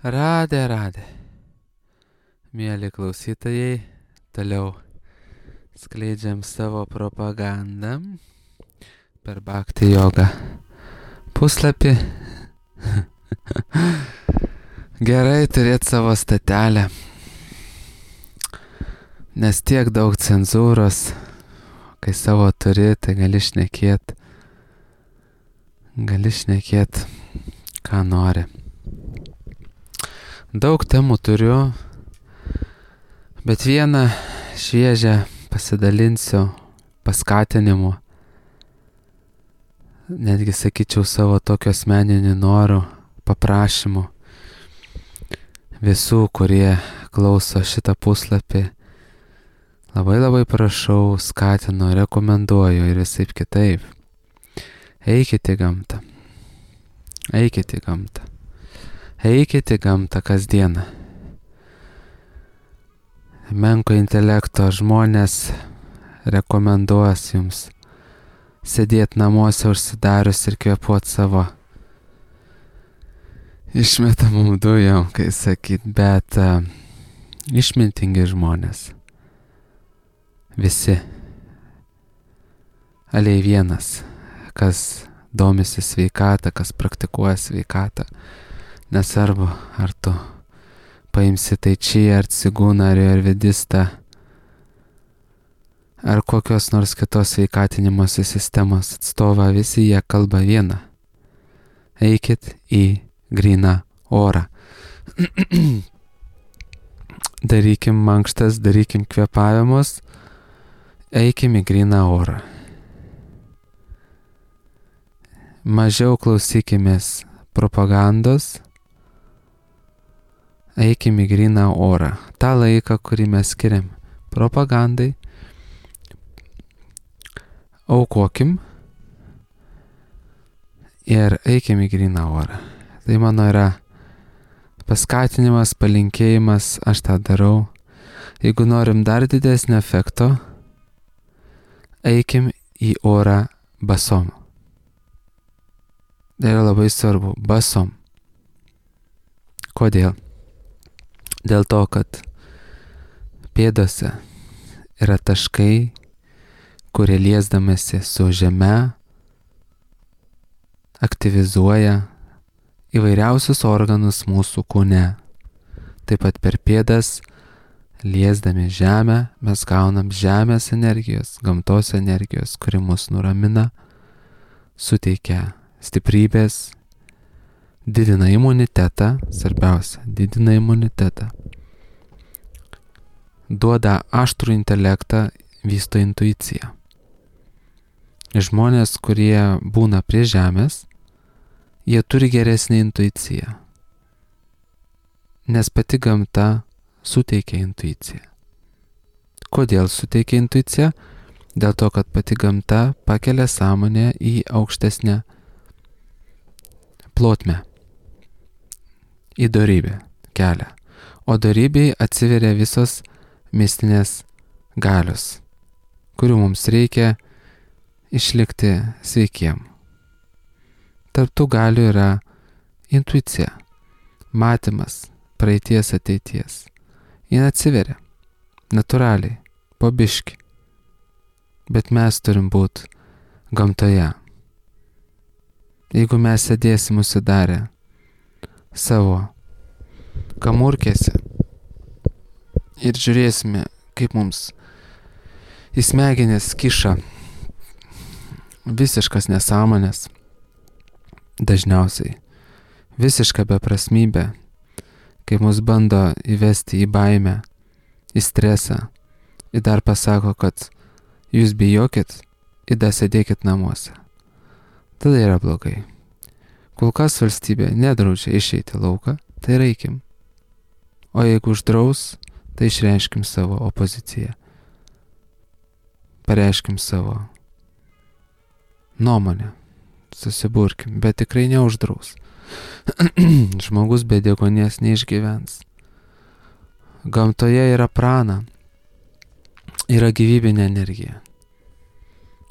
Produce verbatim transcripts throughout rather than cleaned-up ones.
Radė, radė. Mėly klausytojai, toliau skleidžiam savo propagandą per Bhakti Yoga puslapį. Gerai turėti savo statelę, nes tiek daug cenzūros, kai savo turi, tai gali šnekėt, gali šnekėt, ką nori. Daug temų turiu, bet vieną šviežią pasidalinsiu paskatinimu, netgi sakyčiau savo tokio asmeninių norų, paprašymų visų, kurie klauso šitą puslapį. Labai labai prašau, skatinu, rekomenduoju ir visaip kitaip. Eikite į gamtą. Eikite į gamtą. Eikite į gamtą kasdieną. Menko intelekto žmonės rekomenduos jums sėdėti namuose užsidarius ir kvėpuoti savo išmetamum dujom, kai sakyt, bet uh, išmintingi žmonės. Visi. Aliai vienas, kas domisi sveikatą, kas praktikuoja sveikatą. Nesvarbu, ar tu paimsi tai čia, ar cigūną, ar ayurvedistą, ar kokios nors kitos sveikatinimosi sistemos atstovą, visi jie kalba vieną. Eikit į gryną orą. Darykim mankštas, darykim kvėpavimus, eikim į gryną orą. Mažiau klausykimės propagandos, eikim į gryną orą. Ta laiką, kurį mes skiriam propagandai, aukokim ir eikim į gryną orą. Tai mano yra paskatinimas, palinkėjimas, aš tą darau. Jeigu norim dar didesnio efekto, eikim į orą basom. Tai yra labai svarbu, basom. Kodėl? Dėl to, kad pėdose yra taškai, kurie liesdamasi su žeme aktyvizuoja įvairiausius organus mūsų kūne. Taip pat per pėdas, liesdami žemę, mes gaunam žemės energijos, gamtos energijos, kuri mus nuramina, suteikia stiprybės, didina imunitetą, svarbiausia, didina imunitetą, duoda aštrų intelektą, vysto intuiciją. Žmonės, kurie būna prie žemės, jie turi geresnį intuiciją, nes pati gamta suteikia intuiciją. Kodėl suteikia intuiciją? Dėl to, kad pati gamta pakelia sąmonę į aukštesnę plotmę, į dorybę kelią. O dorybei atsiveria visos mistinės galios, kurių mums reikia išlikti sveikiem. Tarp tų galių yra intuicija, matymas, praeities, ateities. Jis atsiveria, natūraliai, po biškį. Bet mes turim būti gamtoje. Jeigu mes sėdėsim užsidarę savo kamurkėse ir žiūrėsime, kaip mums į smegenis kiša visiškas nesąmonės, dažniausiai visiška beprasmybė, kai mus bando įvesti į baimę, į stresą, ir dar pasako, kad jūs bijokit, ir dar sėdėkit namuose. Tada yra blogai. Kol kas valstybė nedraudžia išeiti lauką, tai reikim. O jeigu uždraus, tai išreiškim savo opoziciją. Pareiškim savo nuomonę. Susiburkim, bet tikrai neuždraus. Žmogus be deguonies neišgyvens. Gamtoje yra prana, yra gyvybinė energija.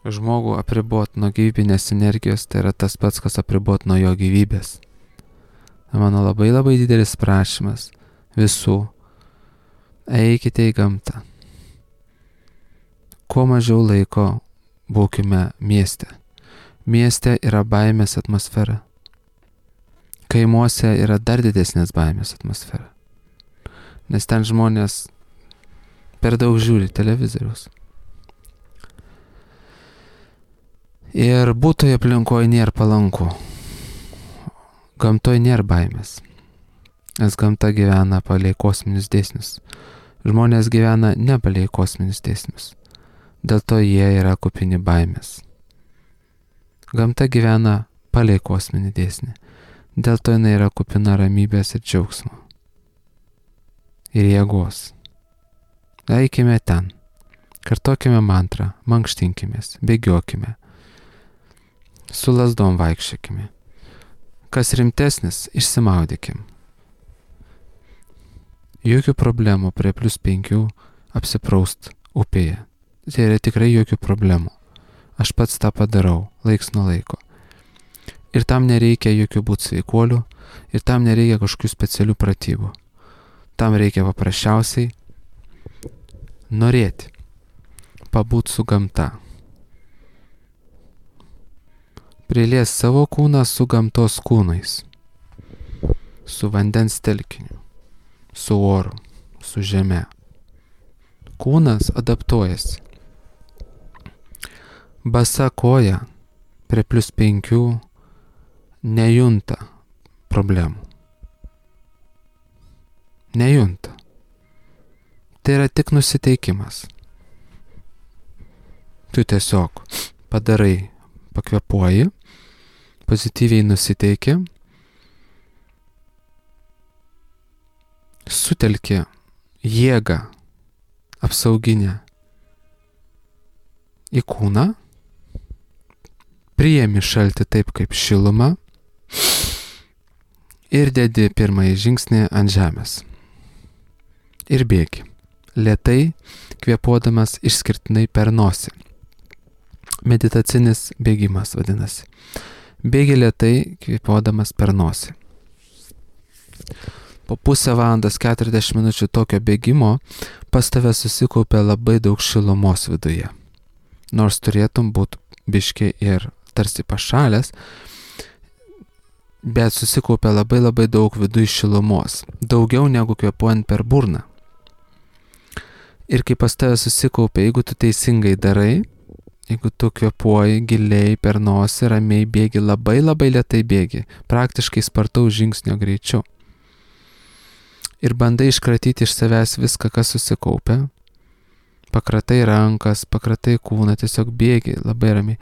Žmogų apribot nuo gyvybinės energijos, tai yra tas pats, kas apribot nuo jo gyvybės. mano labai labai didelis prašymas visų. Eikite į gamtą. Kuo mažiau laiko būkime mieste. Mieste yra baimės atmosfera. Kaimuose yra dar didesnės baimės atmosfera. Nes ten žmonės per daug žiūri televizoriaus. Ir būtoje aplinkoje nėra palanku. Gamtoje nėra baimės. Nes gamta gyvena palei kosminius dėsnius. Žmonės gyvena ne palei kosminius dėsnius. Dėl to jie yra kupini baimės. Gamta gyvena palei kosminį dėsnį. Dėl to jinai yra kupina ramybės ir džiaugsmo. Ir jėgos. Eikime ten. Kartokime mantrą, mankštinkimės, bėgiokime. Su lazdom vaikščiokime. Kas rimtesnis, išsimaudykim. Jokių problemų prie plus penkių apsipraust upėje. Tai yra tikrai jokių problemų. Aš pats tą padarau, laiks nuo laiko. Ir tam nereikia jokių būt sveikuolių, ir tam nereikia kažkokių specialių pratybų. Tam reikia paprasčiausiai norėti pabūt su gamta. Prilies savo kūną su gamtos kūnais, su vandens telkiniu, su oru, su žeme. Kūnas adaptuojasi. Basa koja prie plus penkių nejunta problemų. Nejunta. Tai yra tik nusiteikimas. Tu tiesiog padarai, pakvepuoji, pozityviai nusiteiki, sutelki jėgą apsauginę į kūną, priimi šaltį taip kaip šilumą ir dedi pirmąjį žingsnį ant žemės. Ir bėgi, lėtai kvėpuodamas išskirtinai per nosį. Meditacinis bėgimas vadinasi. Bėgi lėtai kvėpuodamas per nosį. Po pusę valandos keturiasdešimt minučių tokio bėgimo pas tave susikaupia labai daug šilumos viduje. Nors turėtum būti biški ir tarsi pašalęs, bet susikaupia labai labai daug viduje šilumos. Daugiau negu kvėpuojant per burną. Ir kai pas tave susikaupia, jeigu tu teisingai darai, jeigu tu kvėpuoji giliai per nosį, ramiai bėgi, labai labai lėtai bėgi, praktiškai spartaus žingsnio greičiu. Ir bandai iškratyti iš savęs viską, kas susikaupia. Pakratai rankas, pakratai kūną, tiesiog bėgi labai ramiai.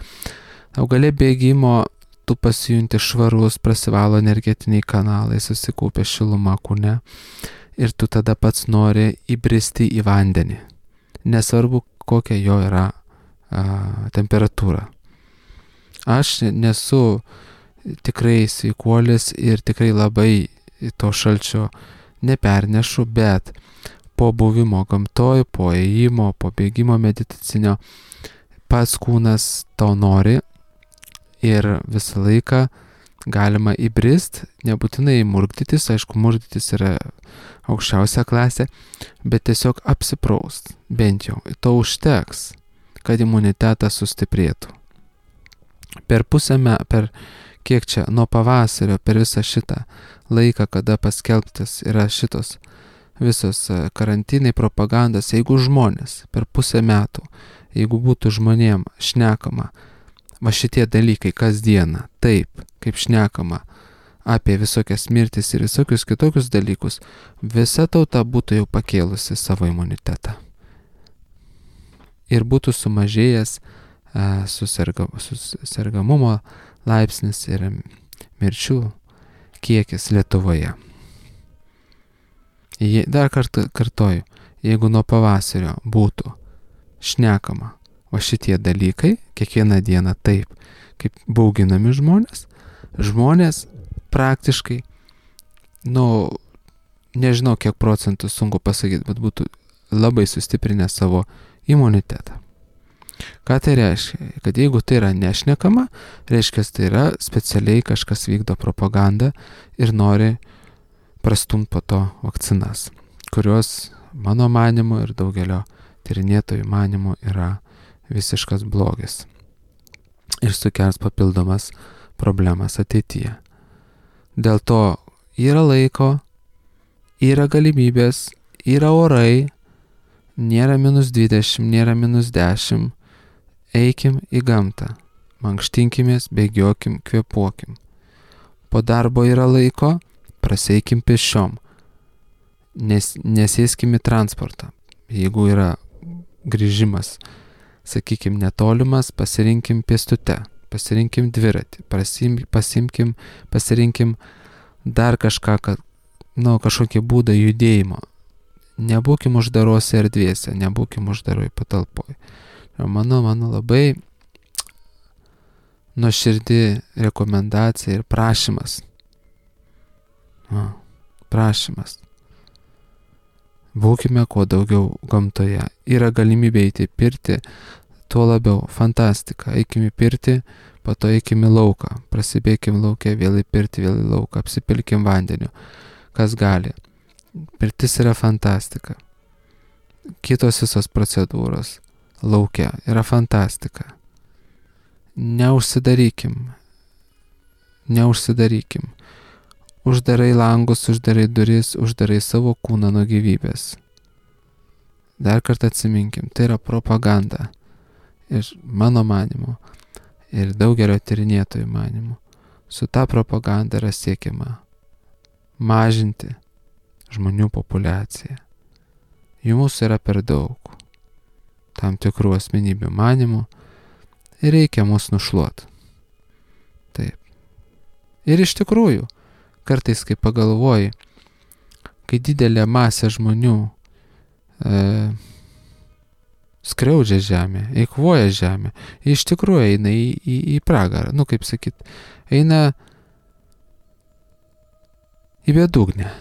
Augalė bėgimo tu pasijunti švarus, prasivalo energetiniai kanalai, susikaupia šiluma kūne ir tu tada pats nori įbristi į vandenį. Nesvarbu, kokia jo yra a, temperatūra. Aš nesu tikrai sveikuolis ir tikrai labai to šalčio nepernešu, bet po buvimo gamtoj, po ėjimo, po bėgimo meditacinio, pats kūnas to nori ir visą laiką galima įbrist, nebūtinai murkdytis, aišku, murkdytis yra aukščiausia klasė, bet tiesiog apsipraust, bent jau, to užteks, kad imunitetas sustiprėtų. Per pusę metų, per kiek čia, nuo pavasario, per visą šitą laiką, kada paskelbtas yra šitos visos karantinai, propagandos, jeigu žmonės per pusę metų, jeigu būtų žmonėm šnekama, va šitie dalykai kasdieną, taip, kaip šnekama apie visokias mirtis ir visokius kitokius dalykus, visa tauta būtų jau pakėlusi savo imunitetą. Ir būtų sumažėjęs a, susirga, susirgamumo laipsnis ir mirčių kiekis Lietuvoje. Je, dar kartą kartoju, jeigu nuo pavasario būtų šnekama o šitie dalykai, kiekvieną dieną taip, kaip bauginami žmonės, žmonės praktiškai, nu, nežinau kiek procentų sunku pasakyti, bet būtų labai sustiprinę savo imunitetą. Ką tai reiškia? Kad jeigu tai yra nešnekama, reiškia, tai yra specialiai kažkas vykdo propagandą ir nori prastumti po to vakcinas, kurios mano manimu ir daugelio tyrinėtojų manimu yra visiškas blogis ir sukels papildomas problemas ateityje. Dėl to yra laiko, yra galimybės, yra orai, nėra minus dvidešimt, nėra minus dešimt, eikim į gamtą, mankštinkimės, bėgiokim, kvėpuokim. Po darbo yra laiko, praseikim pešiom, nes, nesėskim į transportą. Jeigu yra grįžimas, sakykim, netolimas, pasirinkim pėstute, pasirinkim dviratį, pasim, pasimkim, pasirinkim dar kažką, kad, nu, kažkokį būdą judėjimo. Nebūkim uždarose erdvėse, nebūkim uždaroj patalpoj. Mano, mano labai nuoširdi rekomendacija ir prašymas. O, prašymas. Būkime kuo daugiau gamtoje. Yra galimybė eiti į pirtį, tuo labiau fantastika. Eikim į pirtį, po to eikim į lauką. Prasibėkim lauke, vėl į pirtį, vėl į lauką. Apsipilkim vandeniu. Kas gali. Pirtis yra fantastika. Kitos visos procedūros lauke yra fantastika. Neužsidarykim. Neužsidarykim. Uždarai langus, uždarai duris, uždarai savo kūną nuo gyvybės. Dar kartą atsiminkim, tai yra propaganda. Ir mano manimu, ir daugelio tyrinėtojų manimu, su ta propaganda yra siekiama mažinti žmonių populiaciją. Jų mūsų yra per daug. Tam tikrų asmenybių manimų ir reikia mus nušluoti. Taip. Ir iš tikrųjų, kartais, kai pagalvoji, kai didelė masė žmonių e, skriaudžia žemę, eikvoja žemę, iš tikrųjų eina į, į, į pragarą, nu kaip sakyt, eina į bedugnę.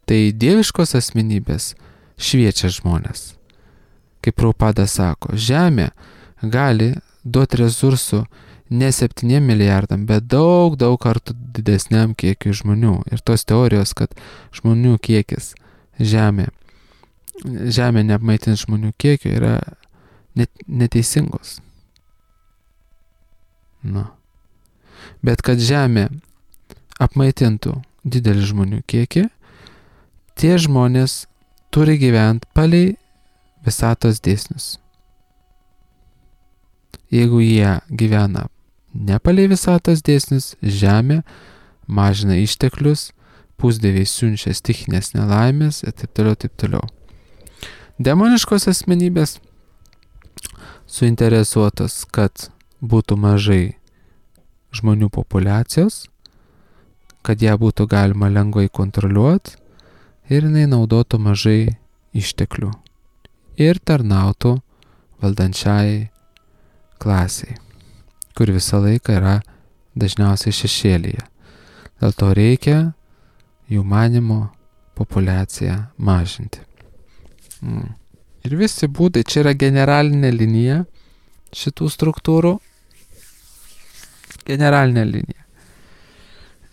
Tai dieviškos asmenybės šviečia žmonės. Kaip Prabhupada sako, žemė gali duoti resursų ne septyniem milijardam, bet daug, daug kartų didesniam kiekiui žmonių. Ir tos teorijos, kad žmonių kiekis žemė, žemė neapmaitins žmonių kiekio, yra net, neteisingos. Nu. Bet kad žemė apmaitintų didelį žmonių kiekį, tie žmonės turi gyventi palei visatos dėsnius. Jeigu jie gyvena ne palei visatos dėsnius, žemė mažina išteklius, pusdieviai siunčia stichinės nelaimės ir taip toliau, taip toliau. Demoniškos asmenybės suinteresuotos, kad būtų mažai žmonių populiacijos, kad ją būtų galima lengvai kontroliuoti ir jinai naudotų mažai išteklių ir tarnautų valdančiai klasiai, kur visą laiką yra dažniausiai šešėlyje. Dėl to reikia jų manymo populiaciją mažinti. Mm. Ir visi būdai, čia yra generalinė linija šitų struktūrų. Generalinė linija.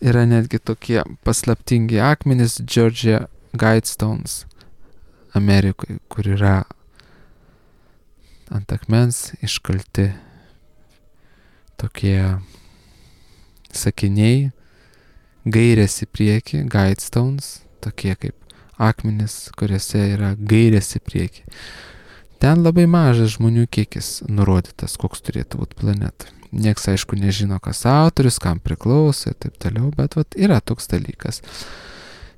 Yra netgi tokie paslaptingi akmenys Georgia Guidestones Amerikoje, kur yra ant akmens iškalti tokie sakiniai, gairės į priekį, Guidestones, tokie kaip akmenys, kuriuose yra gairės į priekį. Ten labai mažas žmonių kiekis nurodytas, koks turėtų būti planeta. Niekas, aišku, nežino, kas autorius, kam priklauso ir taip toliau, bet vat, yra toks dalykas.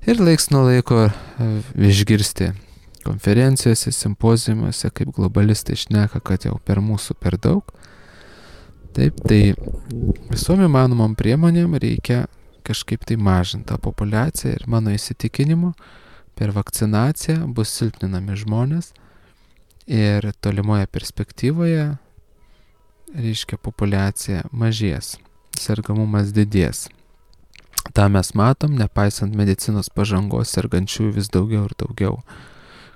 Ir laiks nuo laiko išgirsti konferencijose, simpoziumuose, kaip globalistai šneka, kad jau per mūsų per daug. Taip, tai visom įmanomom priemonėm reikia kažkaip tai mažinti tą populiaciją ir mano įsitikinimu per vakcinaciją bus silpninami žmonės ir tolimoje perspektyvoje, reiškia, populiacija mažės, sergamumas didės. Ta mes matom, nepaisant medicinos pažangos, sergančiųjų vis daugiau ir daugiau.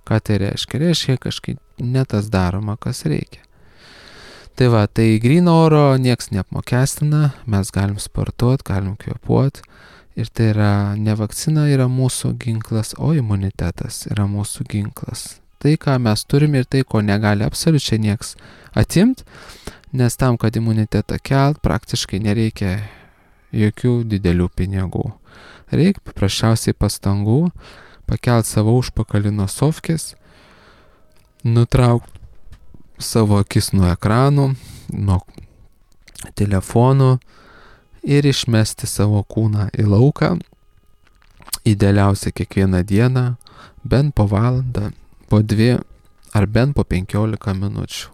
Ką tai reiškia? Reiškia, kažkaip ne tas daroma, kas reikia. Tai va, tai gryno oro nieks neapmokestina, mes galim sportuoti, galim kvėpuoti. Ir tai yra, ne vakcina yra mūsų ginklas, o imunitetas yra mūsų ginklas. Tai, ką mes turime ir tai, ko negali absoliučiai nieks atimt, nes tam, kad imunitetą kelt, praktiškai nereikia jokių didelių pinigų. Reikia paprasčiausiai pastangų, pakelt savo užpakalį nuo sofkės, nutraukti savo akis nuo ekranų, nuo telefonų ir išmesti savo kūną į lauką, idealiausia kiekvieną dieną, bent po valandą, po dvi ar bent po penkiolika minučių.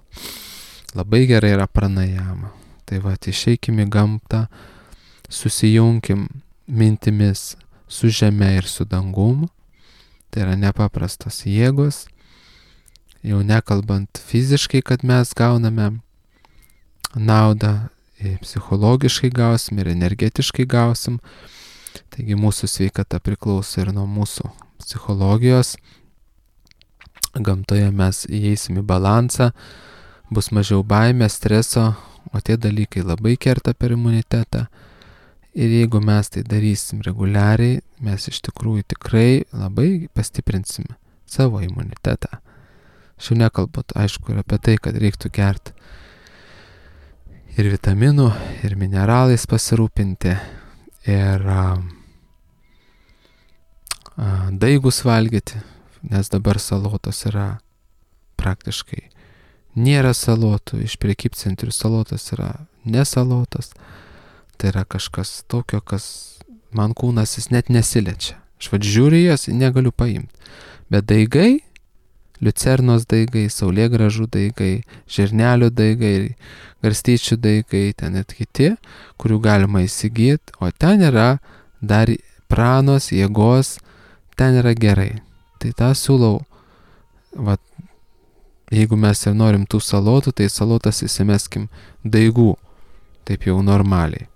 Labai gerai yra pranajama. Tai va, išeikim į gamtą, susijunkim mintimis su žeme ir su dangumu. Tai yra nepaprastos jėgos. Jau nekalbant fiziškai, kad mes gauname naudą, psichologiškai gausim ir energetiškai gausim. Taigi mūsų sveikata priklauso ir nuo mūsų psichologijos. Gamtoje mes įeisim į balansą, bus mažiau baimės, streso, o tie dalykai labai kerta per imunitetą. Ir jeigu mes tai darysim reguliariai, mes iš tikrųjų tikrai labai pastiprinsime savo imunitetą. Aš jau nekalbu, aišku, ir apie tai, kad reiktų gerti ir vitaminų, ir mineralais pasirūpinti, ir a, a, daigus valgyti, nes dabar salotos yra praktiškai nėra salotų, iš prekybcentrių salotos yra nesalotos, tai yra kažkas tokio, kas man kūnas jis net nesiliečia. Aš vad žiūriu jas, negaliu paimti, bet daigai, liucernos daigai, saulėgrąžų daigai, žirnelių daigai, garstyčių daigai, ten net kiti, kurių galima įsigyti, o ten yra dar pranos, jėgos, ten yra gerai. Tai tą siūlau, vat, jeigu mes ir norim tų salotų, tai salotas įsimeskim daigų, taip jau normaliai.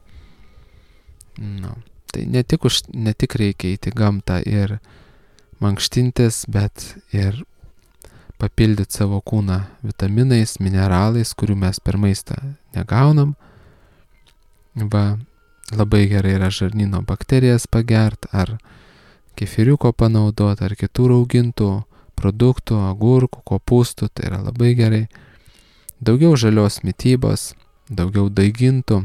Nu, tai ne tik, už, ne tik reikia įti gamtą ir mankštintis, bet ir papildyti savo kūną vitaminais, mineralais, kurių mes per maistą negaunam. Va, labai gerai yra žarnyno bakterijas pagert, ar kefiriuko panaudoti, ar kitų raugintų produktų, agurkų, kopūstų, tai yra labai gerai. Daugiau žalios mitybos, daugiau daigintų.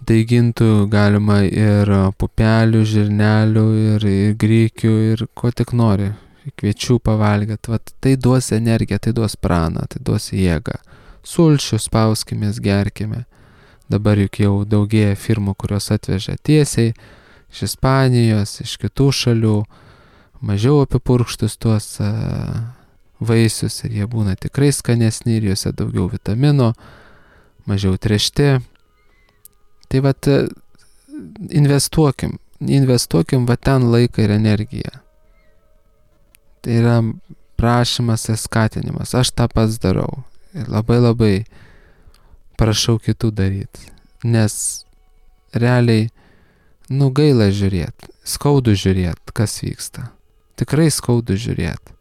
Daigintų galima ir pupelių, žirnelių, ir, ir grikių, ir ko tik nori. Kviečių pavalgyti, vat, tai duos energiją, tai duos praną, tai duos jėgą. Sulčių spauskimės, gerkime. Dabar juk jau daugėja firmų, kurios atvežia tiesiai iš Ispanijos, iš kitų šalių, mažiau apipurkštus tuos uh, vaisius ir jie būna tikrai skanesni ir juose daugiau vitamino, mažiau trešti. Tai vat investuokim, investuokim va ten laiką ir energiją. Tai yra prašymas ir skatinimas. Aš tą pats darau ir labai labai prašau kitų daryti, nes realiai, nu gaila žiūrėti, skaudu žiūrėti, kas vyksta. Tikrai skaudu žiūrėti.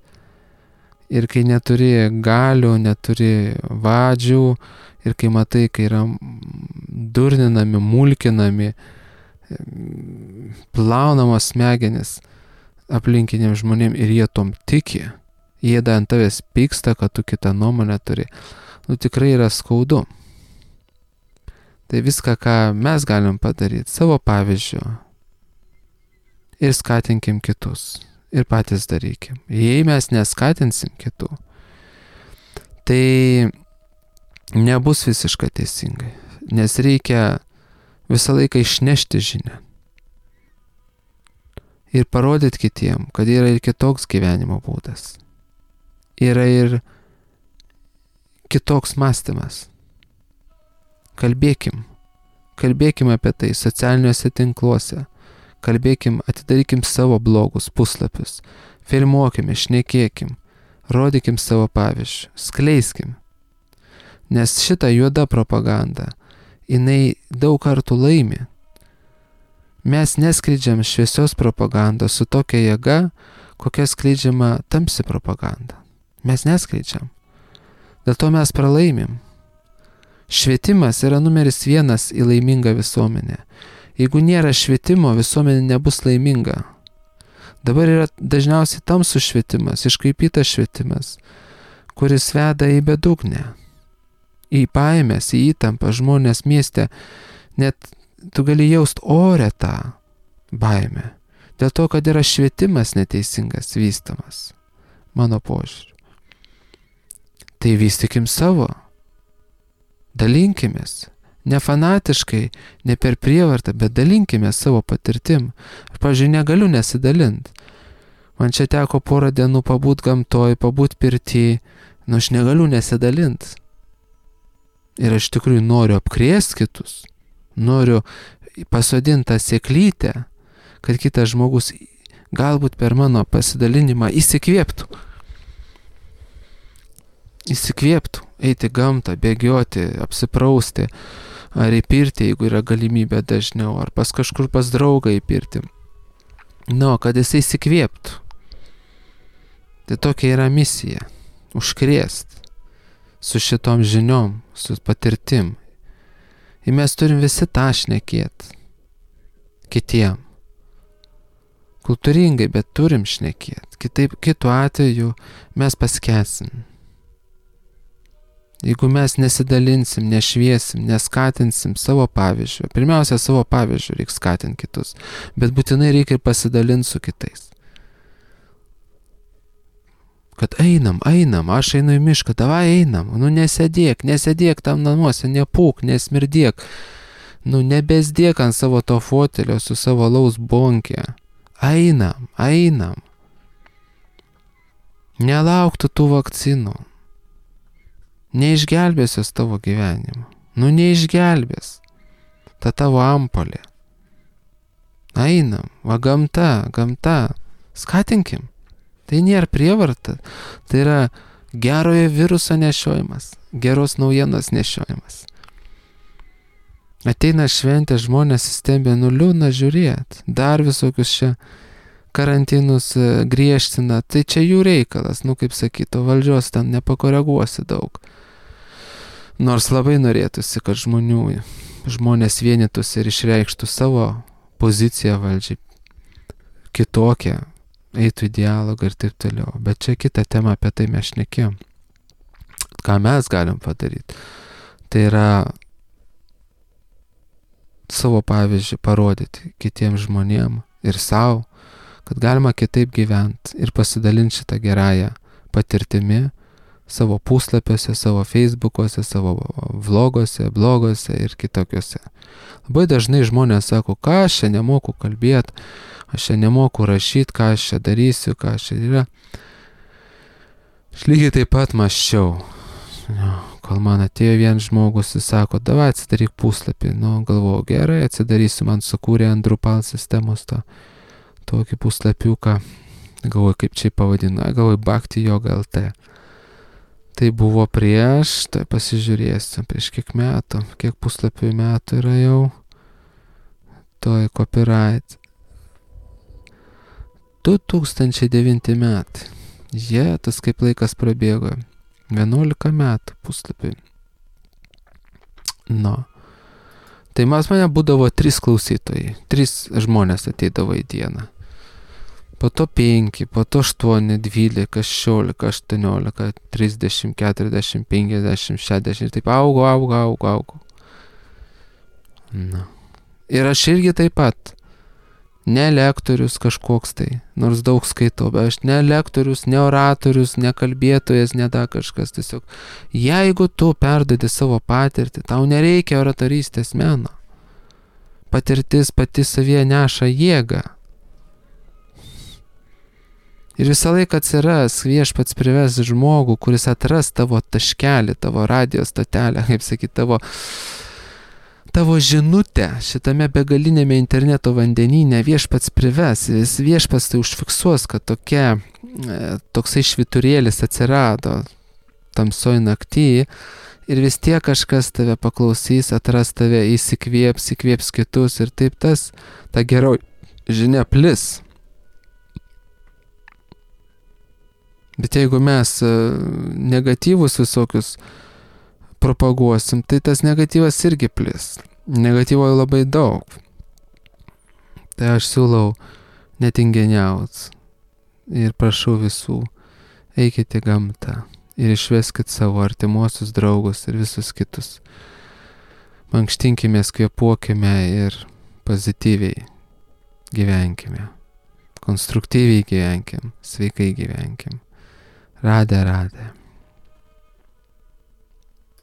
Ir kai neturi galių, neturi vadžių, ir kai matai, kai yra durninami, mulkinami, plaunamos smegenis aplinkiniam žmonėm ir jie tom tiki, jie dar ant tavęs pyksta, kad tu kitą nuomonę turi, nu tikrai yra skaudu. Tai viską, ką mes galim padaryti savo pavyzdžiu ir skatinkim kitus ir patys darykim. Jei mes neskatinsim kitų, tai nebus visiškai teisingai, nes reikia visą laiką išnešti žinią ir parodyti kitiem, kad yra ir kitoks gyvenimo būdas, yra ir kitoks mąstymas. Kalbėkim, kalbėkim apie tai socialiniuose tinkluose, kalbėkim, atidarykim savo blogus puslapius, filmuokime, šnekėkim, rodykim savo pavyzdžių, skleiskim. Nes šita juoda propaganda, jinai daug kartų laimi. Mes neskleidžiam šviesios propagandos su tokia jėga, kokia skleidžiama tamsi propaganda. Mes neskleidžiam. Dėl to mes pralaimim. Švietimas yra numeris vienas į laimingą visuomenę. Jeigu nėra švietimo, visuomenė nebus laiminga. Dabar yra dažniausiai tamsus švietimas, iškraipytas švietimas, kuris veda į bedugnę, į baimės, į įtampą. Žmonės mieste, net tu gali jaust ore tą baimę. Dėl to, kad yra švietimas neteisingas vystamas, mano požiūriu. Tai vystykim savo, dalinkimės, ne fanatiškai, ne per prievartą, bet dalinkime savo patirtim. Aš, pavyzdžiui, negaliu nesidalinti. Man čia teko porą dienų pabūt gamtoj, pabūt pirty, nu aš negaliu nesidalinti. Ir aš tikrųjų noriu apkrėsti kitus, noriu pasodinti tą sėklytę, kad kitas žmogus galbūt per mano pasidalinimą įsikvėptų. Įsikvėptų, eiti gamtą, bėgioti, apsiprausti, ar į pirtį, jeigu yra galimybė dažniau, ar pas kažkur pas draugą į pirtį. Nu, kad jisai įsikvėptų. Tai tokia yra misija. Užkrėst su šitom žiniom, su patirtim. Ir mes turim visi tą šnekėt kitiem. Kultūringai, bet turim šnekėt. Kitaip, kitu atveju mes paskęsim. Jeigu mes nesidalinsim, nešviesim, neskatinsim savo pavyzdžių, pirmiausia, savo pavyzdžių reikia skatinti kitus, bet būtinai reikia ir pasidalinti su kitais. Kad einam, einam, aš einu į mišką, davai einam, nu nesėdėk, nesėdėk tam namuose, nepūk, nesmirdėk, nu nebesdėk ant savo to fotelio su savo laus bonkė. Einam, einam. Nelauktų tų vakcinų. Neišgelbės jos tavo gyvenimo. Nu neišgelbės. Ta tavo ampolė. Einam, va gamta, gamta. Skatinkim. Tai nėra prievarta. Tai yra gerojo viruso nešiojimas. Geros naujienos nešiojimas. Ateina šventė, žmonės stebė, nu liūdna žiūrėt. Dar visokius čia karantinus griežtina. Tai čia jų reikalas. Nu kaip sakyto, valdžios ten nepakoreguosi daug. Nors labai norėtųsi, kad žmonių, žmonės vienytųsi ir išreikštų savo poziciją valdžiai kitokią, eitų į dialogą ir taip toliau. Bet čia kita tema, apie tai mes šnekėjom. Ką mes galim padaryti? Tai yra savo pavyzdžių parodyti kitiem žmonėm ir savo, kad galima kitaip gyventi ir pasidalinti šitą gerąją patirtimi savo puslapiuose, savo feisbukuose, savo vloguose, bloguose ir kitokiuose. Labai dažnai žmonės sako, ką aš čia nemoku kalbėti, aš čia nemoku rašyti, ką aš čia darysiu, ką aš čia yra. Aš lygiai taip pat mąsčiau. Kol man atėjo vienas žmogus, jis sako, davai atsidaryk puslapį. Nu, galvoju, gerai, atsidarysiu, man sukūrė ant Drupal sistemos tą tokį puslapiuką. Galvoju, kaip čia pavadinu, galvoju, Bhakti Yoga L T. Tai buvo prieš, tai pasižiūrėsiu, prieš kiek metų, kiek puslapių metų yra jau, toj copyright. du tūkstančiai devinti metai. Jie, tas kaip laikas prabėgo. vienuolika metų puslapiai. Nu. Tai mas mane būdavo trys klausytojai. Trys žmonės ateidavo į dieną. Po to penki, po to aštuoni, dvylika, šešiolika, aštuoniolika, trisdešimt, keturiasdešimt, penkiasdešimt, šešiasdešimt. Taip augo, augo, augo, augo. Nu. Ir aš irgi taip pat. Ne lektorius kažkoks tai, nors daug skaitau, bet aš ne lektorius, ne oratorius, ne kalbėtojas, ne da kažkas. Tiesiog, jeigu tu perduodi savo patirtį, tau nereikia oratorystės meno. Patirtis pati savyje neša jėgą. Ir visą laiką atsiras viešpats prives žmogų, kuris atras tavo taškelį, tavo radijos stotelę, kaip sakyti, tavo, tavo žinutę šitame begalinėme interneto vandenyne viešpats prives. Vis viešpats tai užfiksuos, kad tokia, toksai švyturėlis atsirado tamsoj nakty ir vis tiek kažkas tave paklausys, atras tave, įsikvėps, įkvėps kitus ir taip tas, ta geroji žinia plis. Bet jeigu mes negatyvus visokius propaguosim, tai tas negatyvas irgi plis. Negatyvo labai daug. Tai aš siūlau netinginiaut ir prašau visų, eikite į gamtą ir išveskit savo artimuosius draugus ir visus kitus. Mankštinkimės, kvėpuokime ir pozityviai gyvenkime. Konstruktyviai gyvenkim, sveikai gyvenkim. Radė, radė.